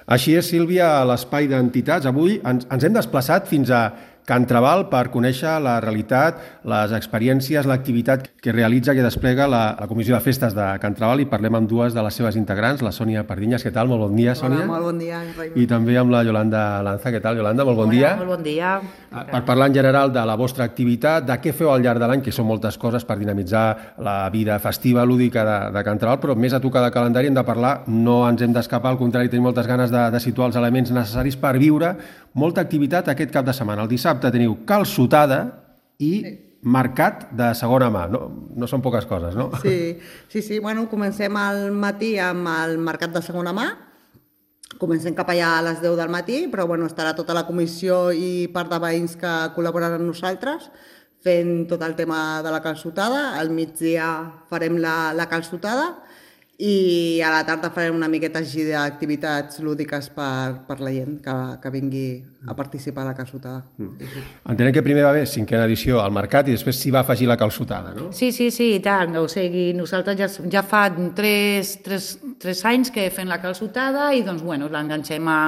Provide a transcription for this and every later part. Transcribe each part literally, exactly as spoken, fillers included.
Així és, Sílvia, a l'Espai d'Entitats. Avui ens, ens hem desplaçat fins a Can Trabal per conèixer la realitat, les experiències, l'activitat que realitza, que desplega la, la Comissió de Festes de Can Trabal, i parlem amb dues de les seves integrants, la Sònia Pardinyes. Què tal? Molt bon dia, Sònia. Hola, molt bon dia. Raimon. I també amb la Yolanda Lanza. Què tal, Yolanda? Molt bon Hola, dia. Molt bon dia. Per parlar en general de la vostra activitat, de què feu al llarg de l'any, que són moltes coses per dinamitzar la vida festiva, lúdica de, de Can Trabal, però més a tocar de calendari hem de parlar, no ens hem d'escapar, al contrari, tenim moltes ganes de, de situar els elements necessaris per viure molta activitat aquest cap de setmana. El dissabte teniu calçotada i sí. mercat de segona mà. No, no són poques coses, no? Sí, sí, sí. Bueno, comencem al matí amb el mercat de segona mà. Comencem cap allà a les deu del matí, però bueno, estarà tota la comissió i part de veïns que col·laboraran amb nosaltres fent tot el tema de la calçotada. Al migdia farem la, la calçotada i a la tarda farem una miqueta així d'activitats lúdiques per, per la gent que, que vingui a participar a la calçotada. Mm. Entenem que primer va haver cinquena edició al mercat i després s'hi va afegir la calçotada, no? Sí, sí, sí, i tant. O sigui, nosaltres ja, ja fa tres, tres, tres anys que fem la calçotada i doncs, bueno, l'enganxem a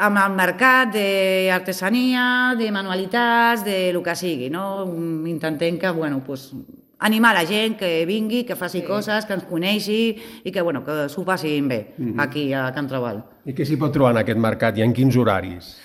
amb el mercat d'artesania, de manualitats, de lo que sigui, no? Intentem que, bueno, pues, animar la gent que vingui, que faci sí. coses, que ens coneixi i que, bueno, que s'ho passin bé mm-hmm. aquí a Can Trabal. I què s'hi pot trobar en aquest mercat i en quins horaris?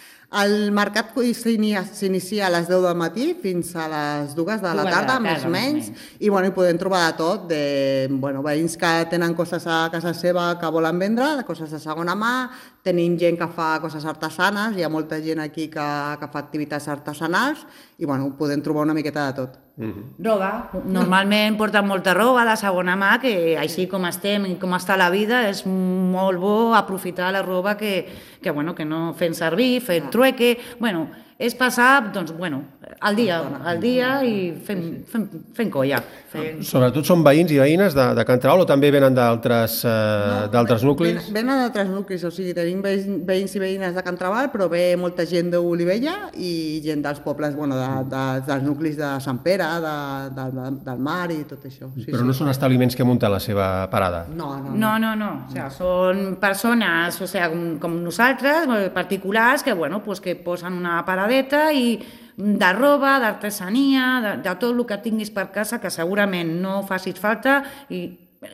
El mercat s'inicia a les deu del matí fins a les dues de la tarda, més o menys, i bueno, hi podem trobar de tot, de bueno, veïns que tenen coses a casa seva que volen vendre, de coses de segona mà, tenim gent que fa coses artesanes, hi ha molta gent aquí que, que fa activitats artesanals, i bueno, podem trobar una miqueta de tot. Mm-hmm. Roba. Normalment porten molta roba de segona mà, que així com estem i com està la vida, és molt bo aprofitar la roba que, que, bueno, que no fem servir, fer trueque, bueno, és passar, doncs, bueno, al dia, al dia i fent, fent, fent colla. Fent... Sobretot són veïns i veïnes de, de Can Trabal o també venen d'altres eh, no, d'altres nuclis? Venen d'altres nuclis, o sigui, tenim veïns i veïnes de Can Trabal, però ve molta gent d'Olivella i gent dels pobles, bueno, de, de, dels nuclis de Sant Pere, de, de, de, del mar i tot això. Sí, però sí. no són establiments que munten la seva parada? No, no, no. No, no, no. O sea, són persones, o sea, com, com nosaltres, particulars, que, bueno, pues que posen una parada i de roba, d'artesania, de, de tot el que tinguis per casa que segurament no facis falta i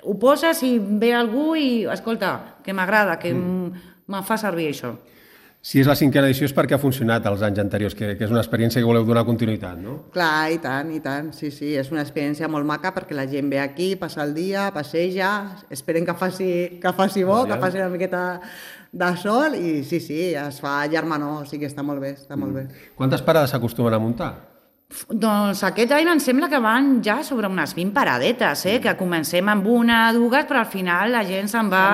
ho poses i ve algú i escolta, que m'agrada, que mm. me'n fa servir això. Si és la cinquena edició és perquè ha funcionat els anys anteriors, que, que és una experiència que voleu donar continuïtat, no? Clar, i tant, i tant, sí, sí, és una experiència molt maca perquè la gent ve aquí, passa el dia, passeja, esperen que faci, que faci bo, que faci una miqueta de sol i sí, sí, es fa germanor, o sigui, està molt bé, està molt bé. Quantes parades s'acostumen a muntar? Doncs aquest any em sembla que van ja sobre unes vint paradetes, eh? Que comencem amb una, dues, però al final la gent se'n va,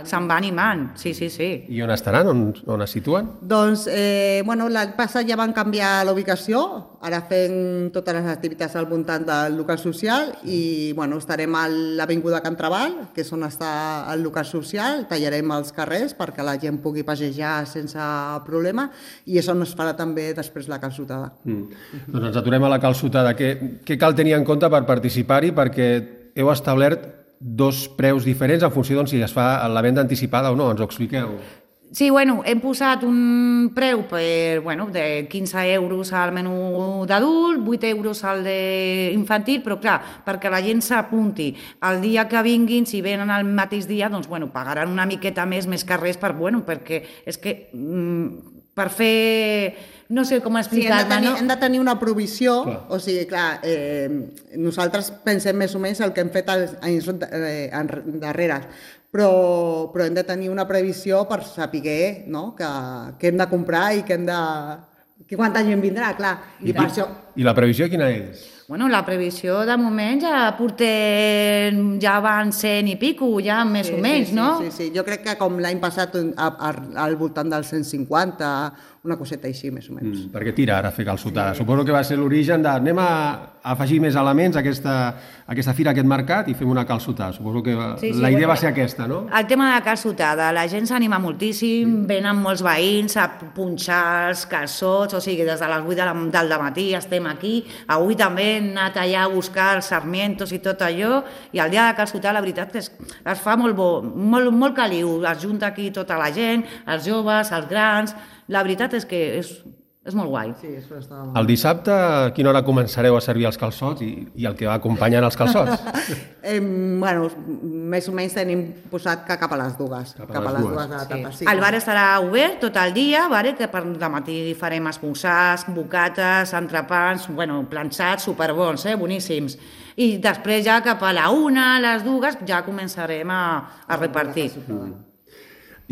se'n va animant. Sí, sí, sí. I on estaran? On, on es situen? Doncs, eh, bueno, l'any passat ja van canviar l'ubicació, ara fem totes les activitats al voltant del local social i, bueno, estarem a l'Avinguda Can Trabal, que és on està el local social, tallarem els carrers perquè la gent pugui passejar sense problema i és on es farà també després la calçotada. Mm. Doncs ens aturem a la calçotada. Què, què cal tenir en compte per participar-hi? Perquè heu establert dos preus diferents en funció de si es fa la venda anticipada o no. Ens ho expliqueu? Sí, bueno, hem posat un preu per, bueno, de quinze euros al menú d'adult, vuit euros al d'infantil, però clar, perquè la gent s'apunti. El dia que vinguin, si venen el mateix dia, doncs, bueno, pagaran una miqueta més, més que res, per, bueno, perquè és que mm, per fer... No sé com explicar-me, sí, hem, no? hem de tenir una provisió, clar. O sigui, clar, eh, nosaltres pensem més o menys el que hem fet als anys eh, darrere, però, però hem de tenir una previsió per saber, no?, que, que hem de comprar i que hem de... que quanta gent vindrà, clar. I, I, per això... I la previsió quina és? Bueno, la previsió de moment ja portem, ja van cent i pico, ja més sí, o menys, sí, no? Sí, sí, sí, jo crec que com l'any passat al voltant dels cent cinquanta, una coseta així, més o menys. Mm, perquè tira ara fer calçotada. Sí. Suposo que va ser l'origen de anem a afegir més elements a aquesta, a aquesta fira, a aquest mercat i fem una calçotada. Suposo que sí, sí, la idea bueno, va ser aquesta, no? El tema de la calçotada, la gent s'anima moltíssim, sí. Venen molts veïns a punxar els calçots, o sigui, des de les vuit del matí estem estem aquí. Avui també hem anat allà a buscar els sarmientos i tot allò, i el dia de calçotar la veritat que es, es fa molt bo, molt, molt caliu, es junta aquí tota la gent, els joves, els grans, la veritat és que és, és molt guai. Sí, això està molt... El dissabte, a quina hora començareu a servir els calçots i, i el que va acompanyant els calçots? eh, bueno, més o menys tenim posat que cap a les dues. Cap a cap a les les dues. dues de la tarda. Sí. El bar estarà obert tot el dia, vale? Que per la matí farem esmorzars, bocates, entrepans, bueno, planxats superbons, eh? Boníssims. I després ja cap a la una, a les dues, ja començarem a, a repartir.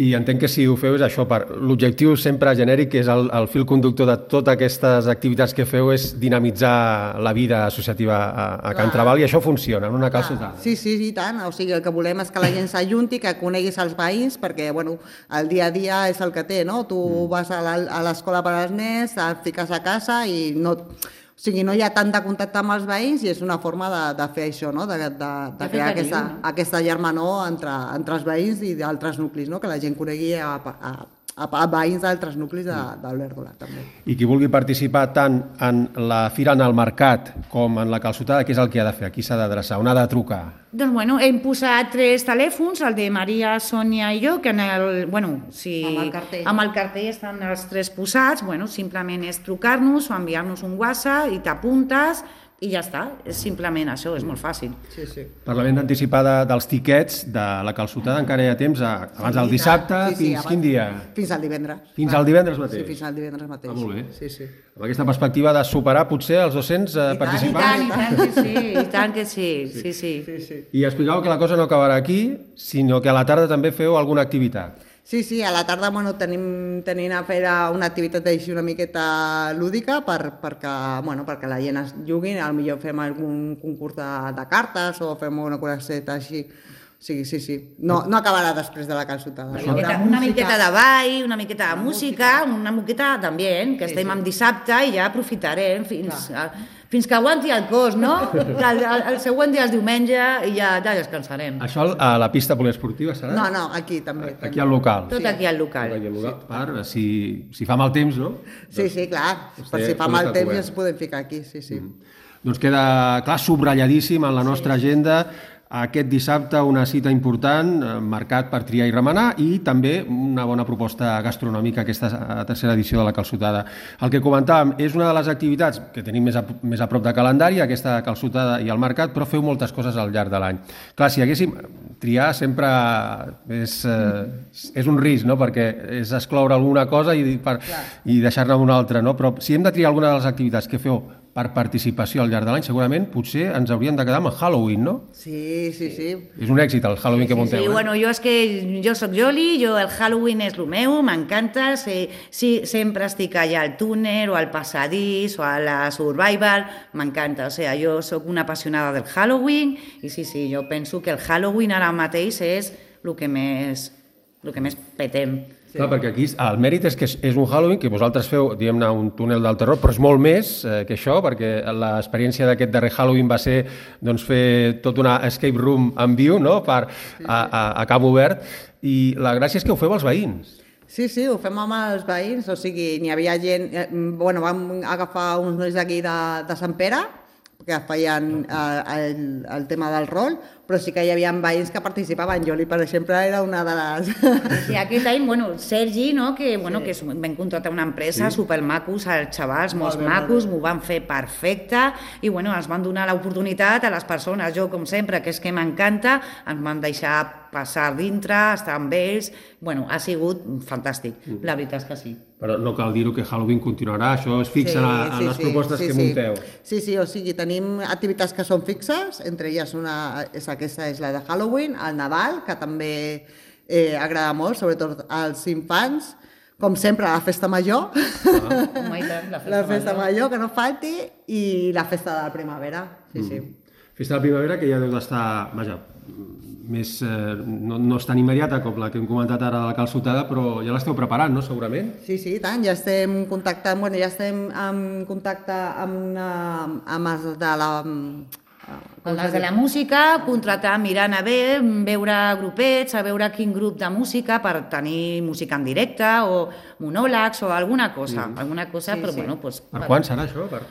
I entenc que si ho feu és això, per l'objectiu sempre genèric, que és el, el fil conductor de totes aquestes activitats que feu, és dinamitzar la vida associativa a, a Can Trabal, i això funciona en una calçotada. Sí, sí, i tant. O sigui, el que volem és que la gent s'ajunti, que coneguis els veïns, perquè, bueno, el dia a dia és el que té, no? Tu mm. vas a l'escola per als nens, et fiques a casa i no... O sigui, no hi ha tant de contacte amb els veïns i és una forma de, de fer això, no? de, de, de, de crear aquesta, aquesta germanor entre, entre els veïns i d'altres nuclis, no? Que la gent conegui a, a, a, a veïns d'altres nuclis de, d'Olèrdola, també. I qui vulgui participar tant en la fira, en el mercat, com en la calçotada, què és el que ha de fer? A qui s'ha d'adreçar? On ha de trucar? Doncs, bueno, hem posat tres telèfons, el de Maria, Sònia i jo, que en el, bueno, si... Amb el cartell. Amb el cartell estan els tres posats, bueno, simplement és trucar-nos o enviar-nos un WhatsApp i t'apuntes i ja està, és simplement això, és molt fàcil. Sí, sí. Per la venda anticipada dels tiquets de la calçotada encara hi ha temps, a, abans del dissabte, sí, sí, fins abans, quin dia? Fins al divendres. Fins al divendres mateix? Sí, fins al divendres mateix. Ah, molt bé. Sí, sí. Amb aquesta perspectiva de superar potser els dos-cents eh, participants. I tant, i tant que sí, i tant que sí, sí, sí. sí, sí. I explicàveu que la cosa no acabarà aquí, sinó que a la tarda també feu alguna activitat. Sí, sí, a la tarda bueno, tenim, tenim a fer una activitat així una miqueta lúdica per, perquè, bueno, perquè la gent es jugui, potser fem algun concurs de, de cartes o fem una coseta així. Sí, sí, sí. No, no acabarà després de la calçotada. Una miqueta, una miqueta de ball, una miqueta de música, una miqueta d'ambient, que sí, estem sí. en dissabte i ja aprofitarem fins, a, fins que aguanti el cos, no? El, el, el següent dia és diumenge i ja, ja descansarem. Això a la pista poliesportiva serà? No, no, aquí també. Aquí al local. Tot aquí al local. Aquí al local, per, si, si fa mal temps, no? Sí, sí, clar. Per si fa mal temps ja es podem ficar aquí, sí, sí. Mm. Doncs queda, clar, subratlladíssim en la nostra sí. agenda aquest dissabte una cita important, mercat per triar i remenar, i també una bona proposta gastronòmica, aquesta tercera edició de la calçotada. El que comentàvem és una de les activitats que tenim més a, més a prop de calendari, aquesta calçotada i el mercat, però feu moltes coses al llarg de l'any. Clar, si haguéssim triar sempre és, eh, és un risc, no? Perquè és excloure alguna cosa i, per, i deixar-ne una altra, no? Però si hem de triar alguna de les activitats que feu per participació al llarg de l'any, segurament potser ens hauríem de quedar amb el Halloween, no? Sí, sí, sí. És un èxit el Halloween sí, que munteu, sí, eh? Bueno, jo és que jo soc Joli, jo el Halloween és el meu, m'encanta, sí, sí, sempre estic allà al túnel o al passadís o a la Survival, m'encanta, o sigui, jo sóc una apassionada del Halloween i sí, sí, jo penso que el Halloween ara mateix és el que més, el que més petem. Sí. Clar, perquè aquí el mèrit és que és un Halloween que vosaltres feu, diguem-ne, un túnel del terror, però és molt més eh, que això, perquè l'experiència d'aquest darrer Halloween va ser doncs, fer tot una escape room en viu, no?, per, sí, sí. A, a, a camp obert, i la gràcia és que ho feu als veïns. Sí, sí, ho fem amb els veïns, o sigui, n'hi havia gent... Eh, bueno, vam agafar uns nois d'aquí de, de Sant Pere, que feien eh, el, el tema del rol, però sí que hi havia veïns que participaven. Joli, per exemple, era una de les... Sí, aquest any, bueno, Sergi, no?, que, bueno, sí. que vam contractar una empresa sí. supermacos, els xavals, molts molt macos, m'ho van fer perfecte i, bueno, ens van donar l'oportunitat a les persones. Jo, com sempre, que és que m'encanta, ens van deixar passar dintre, estar amb ells... Bueno, ha sigut fantàstic, mm. la veritat és que sí. Però no cal dir-ho que Halloween continuarà, això es fixa sí, en, en sí, les sí, propostes sí, que sí. munteu. Sí, sí, o sigui, tenim activitats que són fixes, entre elles una, és aquesta és la de Halloween, el Nadal, que també eh, agrada molt, sobretot als infants, com sempre, la festa major, ah. oh tant, la festa, la festa major. major, que no falti, i la festa de la primavera, sí, mm. sí. Festa de la primavera que ja deu d'estar, vaja, més, eh, no, no és tan immediata com la que hem comentat ara de la calçotada, però ja l'esteu preparant, no?, segurament? Sí, sí, tant, ja estem contactant, bueno, ja estem en contacte amb, amb els de la... Amb les de la música, contratar, mirant a ver, veure grupets, a veure quin grup de música per tenir música en directe o monòlegs o alguna cosa, mm. alguna cosa, sí, però sí. bueno... Pues, per quan serà això? Per...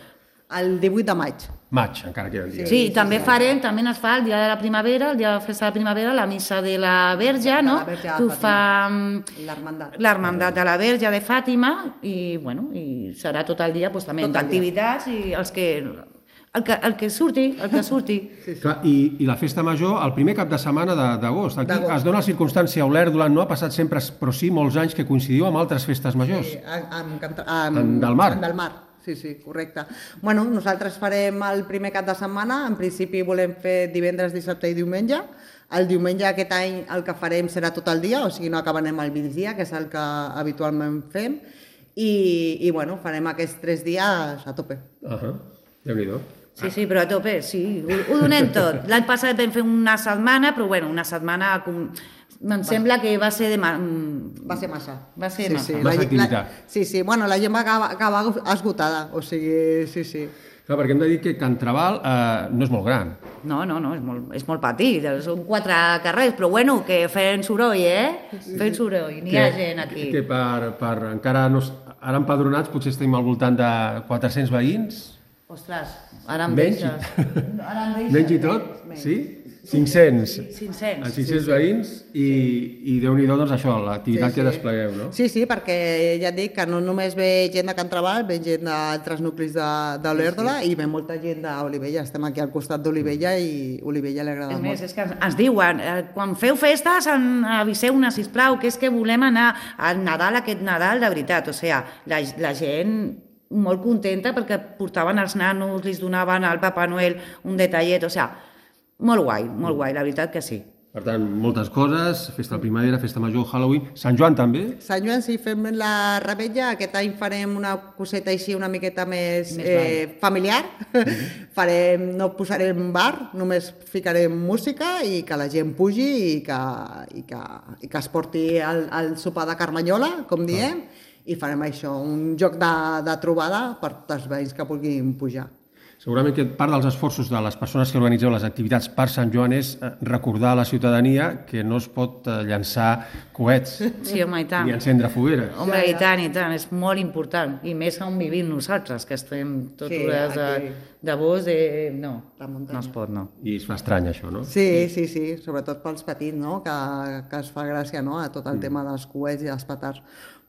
El divuit de maig. Maig, encara queden dies. Sí, també farem, també es fa el dia de la primavera, el dia de la festa de la primavera, la missa de la Verge, no? Que ho fa l'Hermandat de la Verge de Fàtima i, bueno, i serà tot el dia, doncs, també, d'activitats i els que... El que, el que surti, el que surti. Sí, sí. Clar, i, I la festa major, el primer cap de setmana d'agost. Aquí es dona la circumstància, Olèrdola no ha passat sempre, però sí molts anys que coincidiu amb altres festes majors. Sí, amb, amb, amb, en del mar. En del mar. Sí, sí, correcte. Bueno, nosaltres farem el primer cap de setmana, en principi volem fer divendres, dissabte i diumenge. El diumenge aquest any el que farem serà tot el dia, o sigui, no acabarem al migdia, que és el que habitualment fem, i, i bueno, farem aquests tres dies a tope. Uh -huh. Déu-n'hi-do. Sí, sí, però a tope, sí, ho, ho donem tot. L'any passat vam fer una setmana, però bueno, una setmana... Com... Em sembla que va ser de... Ma... Va ser massa. Va ser sí, massa. Sí, massa activitat. La, sí, sí, bueno, la gent va acabar, acabar esgotada, o sigui, sí, sí. Clar, perquè hem de dir que Can Trabal eh, no és molt gran. No, no, no, és molt, és molt petit, són quatre carrers, però bueno, que feien soroll, eh? Sí, feien soroll, n'hi ha gent aquí. Que per, per encara no... Ara empadronats potser estem al voltant de quatre-cents veïns. Ostres, ara em menys, deixes. Ara em deixes. Menys i tot, menys. Sí? cinc-cents. cinc-cents. Els cinc-cents sí, veïns sí. i, i Déu-n'hi-do, doncs això, l'activitat sí, sí. que desplegueu, no? Sí, sí, perquè ja et dic que no només ve gent de Can Trabal, ve gent d'altres nuclis d'Olèrdola sí, sí. i ve molta gent d'Olivella. Estem aquí al costat d'Olivella i Olivella li agrada molt. molt. És més, és que ens diuen, eh, quan feu festes, aviseu-ne, sisplau, que és que volem anar al Nadal, aquest Nadal, de veritat. O sigui, la, la gent... molt contenta perquè portaven els nanos, li donaven al Papa Noel un detallet, o sigui, molt guai, molt guai, la veritat que sí. Per tant, moltes coses, festa de primavera, festa major, Halloween, Sant Joan també? Sant Joan sí, fem la revetlla, aquest any farem una coseta així una miqueta més, més eh, familiar, mm-hmm. farem, no posarem bar, només ficarem música i que la gent pugi i que, i que, i que es porti el, el sopar de Carmanyola, com diem, ah. i farem això, un joc de, de trobada per tots els veïns que vulguin pujar. Segurament que part dels esforços de les persones que organitzeu les activitats per Sant Joan és recordar a la ciutadania que no es pot llançar coets sí, home, i tant. ni encendre fogueres. Home, i tant, i tant, és molt important. I més on vivim nosaltres, que estem tot sí, hores de, de bosc, de... no, no es pot, no. I es fa estrany, això, no? Sí, sí, sí, sobretot pels petits, no?, que, que es fa gràcia, no?, a tot el mm. tema dels coets i dels petards.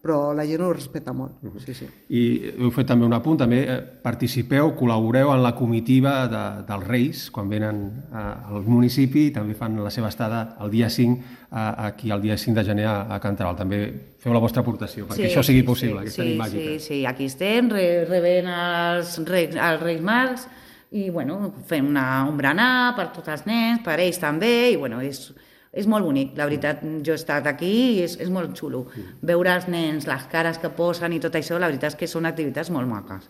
Però la gent ho respecta molt, uh-huh. sí, sí. I heu fet també un apunt, també eh, participeu, col·laboreu en la comitiva de, dels Reis, quan venen a, al municipi, també fan la seva estada el dia cinc, a, aquí el dia cinc de gener a, a Can Trabal. També feu la vostra aportació, perquè sí, això sigui possible, sí, aquesta sí, nit màgica. Sí, sí, aquí estem, re, rebent els Reis, els Reis Mags, i bueno, fem una, un berenar per tots els nens, per ells també, i bueno, és... És molt bonic, la veritat, jo he estat aquí i és, és molt xulo. Veure els nens, les cares que posen i tot això, la veritat és que són activitats molt maques.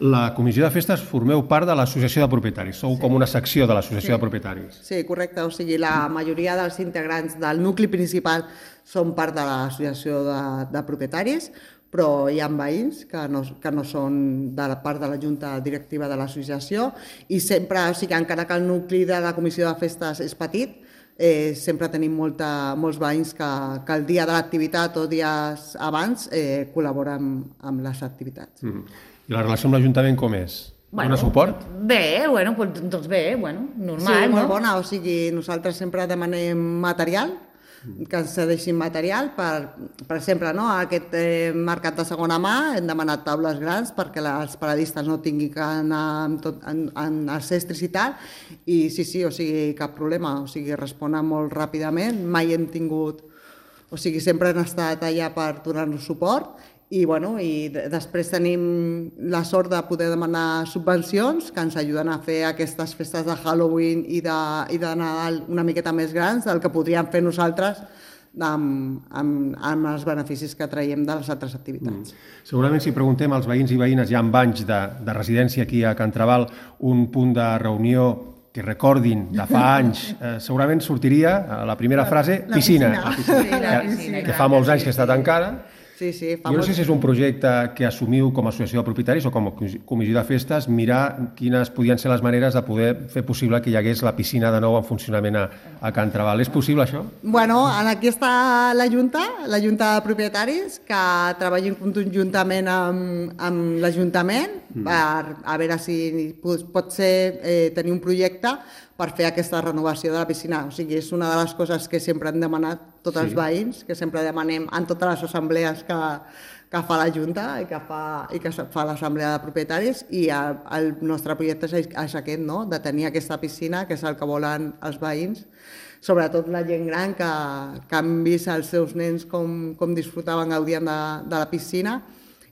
La Comissió de Festes formeu part de l'Associació de Propietaris, sou sí. com una secció de l'Associació sí. de Propietaris. Sí, correcte, o sigui, la majoria dels integrants del nucli principal són part de l'Associació de, de Propietaris, però hi ha veïns que no, que no són de la part de la Junta Directiva de l'associació i sempre, o sigui, encara que el nucli de la Comissió de Festes és petit, Eh, sempre tenim molta, molts veïns que, que el dia de l'activitat o dies abans eh, col·laboren amb les activitats. Mm. I la relació amb l'Ajuntament com és? Bueno, dona suport? Bé, bueno, doncs bé, bueno, normal, sí, no? molt bona, o sigui, nosaltres sempre demanem material, que ens cedeixin material, per, per exemple, no? Aquest eh, mercat de segona mà hem demanat taules grans perquè els paradistes no tinguin que anar amb, tot, en, en els estris i tal, i sí, sí, o sigui, cap problema, o sigui, responen molt ràpidament, mai hem tingut, o sigui, sempre han estat allà per donar-nos suport, i, bueno, i després tenim la sort de poder demanar subvencions que ens ajuden a fer aquestes festes de Halloween i de, i de Nadal una miqueta més grans del que podríem fer nosaltres amb, amb, amb els beneficis que traiem de les altres activitats. Mm. Segurament si preguntem als veïns i veïnes ja amb anys de, de residència aquí a Can Trabal un punt de reunió que recordin de fa anys, eh, segurament sortiria a la primera frase, la piscina, piscina. La piscina. Sí, la piscina. Que, que fa molts anys que està tancada. Sí, sí, fa Jo no molt... sé si és un projecte que assumiu com a associació de propietaris o com a comissió de festes, mirar quines podien ser les maneres de poder fer possible que hi hagués la piscina de nou en funcionament a, a Can Trabal. És possible, això? Bueno, aquí està la Junta, la Junta de Propietaris, que treballa conjuntament amb, amb l'Ajuntament mm. per a veure si pot ser eh, tenir un projecte per fer aquesta renovació de la piscina. O sigui, és una de les coses que sempre han demanat tots sí. els veïns, que sempre demanem en totes les assemblees que, que fa la Junta i que fa, i que fa l'assemblea de propietaris, i el, el nostre projecte és, és aquest, no? De tenir aquesta piscina, que és el que volen els veïns, sobretot la gent gran que, que han vist els seus nens com, com disfrutaven, gaudien de, de la piscina.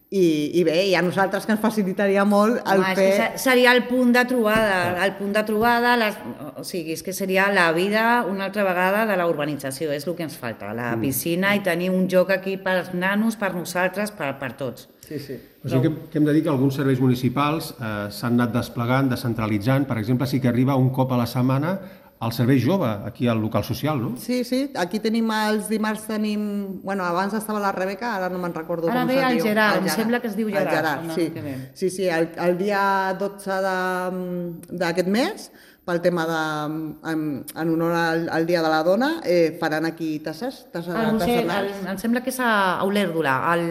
I, i bé, i a nosaltres que ens facilitaria molt el Home, fer... És que seria el punt de trobada, el punt de trobada, les... o sigui, és que seria la vida una altra vegada de la urbanització, és el que ens falta, la piscina i tenir un joc aquí pels nanos, per nosaltres, per, per tots. Sí, sí. O sigui que, que hem de dir que alguns serveis municipals eh, s'han anat desplegant, descentralitzant. Per exemple, sí que arriba un cop a la setmana al servei jove, aquí al local social, no? Sí, sí, aquí tenim els dimarts, tenim... Bueno, abans estava la Rebeca, ara no me'n recordo ara com ve se el diu. Gerard, El em sembla que es diu Gerard. El Gerard, no, sí. No, sí, sí, el, el dia dotze d'aquest mes, pel tema de... En, en honor al, al Dia de la Dona, eh, faran aquí tasses, tasses el Roser, artesanals. el, em sembla que és a Olèrdola, al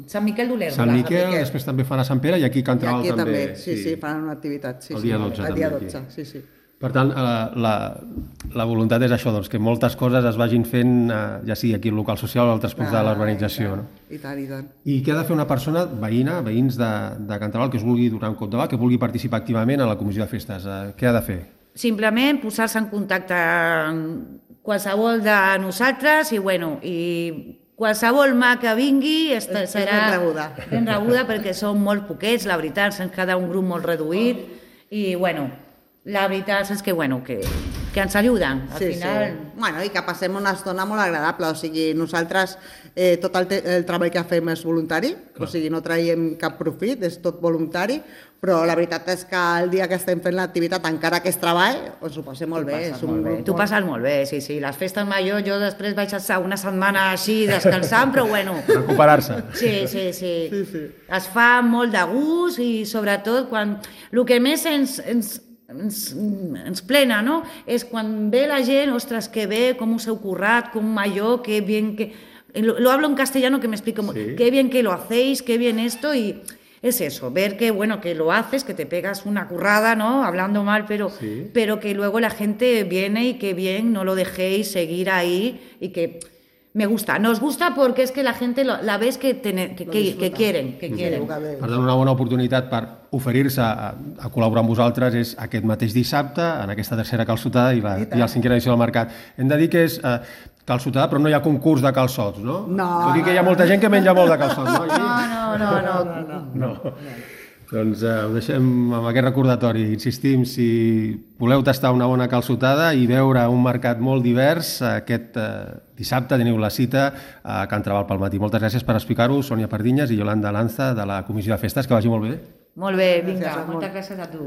Sant Miquel d'Olèrdola. Sant Miquel, Miquel, després també fan a Sant Pere i aquí a Can Trabal I aquí també. també, sí, sí, sí, faran una activitat. Sí, el dia dotze sí, també. El dia dotze, sí, sí. Per tant, la, la voluntat és això, doncs, que moltes coses es vagin fent, ja sigui aquí al local social o altres punts ah, de l'urbanització. No? I tant, i tant. I què ha de fer una persona veïna, veïns de, de Can Trabal, que es vulgui donar un cop de mà, que vulgui participar activament a la comissió de festes? Què ha de fer? Simplement posar-se en contacte amb qualsevol de nosaltres i, bueno, i qualsevol mà que vingui serà ben rebuda. ben rebuda perquè som molt poquets, la veritat, se'ns queda un grup molt reduït i, bueno, la veritat és que, bueno, que, que ens ajuden. Al sí, final... sí. Bueno, i que passem una estona molt agradable. O sigui, nosaltres, eh, tot el, el treball que fem és voluntari, clar. O sigui, no traiem cap profit, és tot voluntari, però la veritat és que el dia que estem fent l'activitat, encara que és treball, ens ho passem molt bé. És un... molt bé. Tu passes molt bé, sí, sí. Les festes majors, jo després vaig estar una setmana així descansant, però bueno... Recuperar-se. Sí, sí, sí, sí, sí. Es fa molt de gust i sobretot quan... El que més ens... ens Ens, ens plena, no? És quan ve la gent, ostres, que bé, com us heu currat, com allò, que bien que... Lo, lo hablo en castellano que me explico, sí. Qué bien que lo hacéis, qué bien esto, y es eso, ver que, bueno, que lo haces, que te pegas una currada, ¿no? Hablando mal, pero, sí. pero que luego la gente viene y que bien, no lo dejéis seguir ahí y que... Me gusta, nos gusta porque es que la gente lo, la ves que, ten, que, que, que quieren. Que quieren. Per tant, una bona oportunitat per oferir-se a, a col·laborar amb vosaltres és aquest mateix dissabte, en aquesta tercera calçotada i la, i la cinquena edició del Mercat. Hem de dir que és eh, calçotada, però no hi ha concurs de calçots, no? No. Tot i que hi ha molta gent que menja molt de calçots, no? No, no, no. no, no, no. no. no. Doncs eh, ho deixem amb aquest recordatori. Insistim, si voleu tastar una bona calçotada i veure un mercat molt divers, aquest eh, dissabte teniu la cita a Can Trabal pel matí. Moltes gràcies per explicar-ho, Sònia Pardinyes i Yolanda Lanza, de la Comissió de Festes. Que vagi molt bé. Molt bé, vinga, moltes gràcies a tu.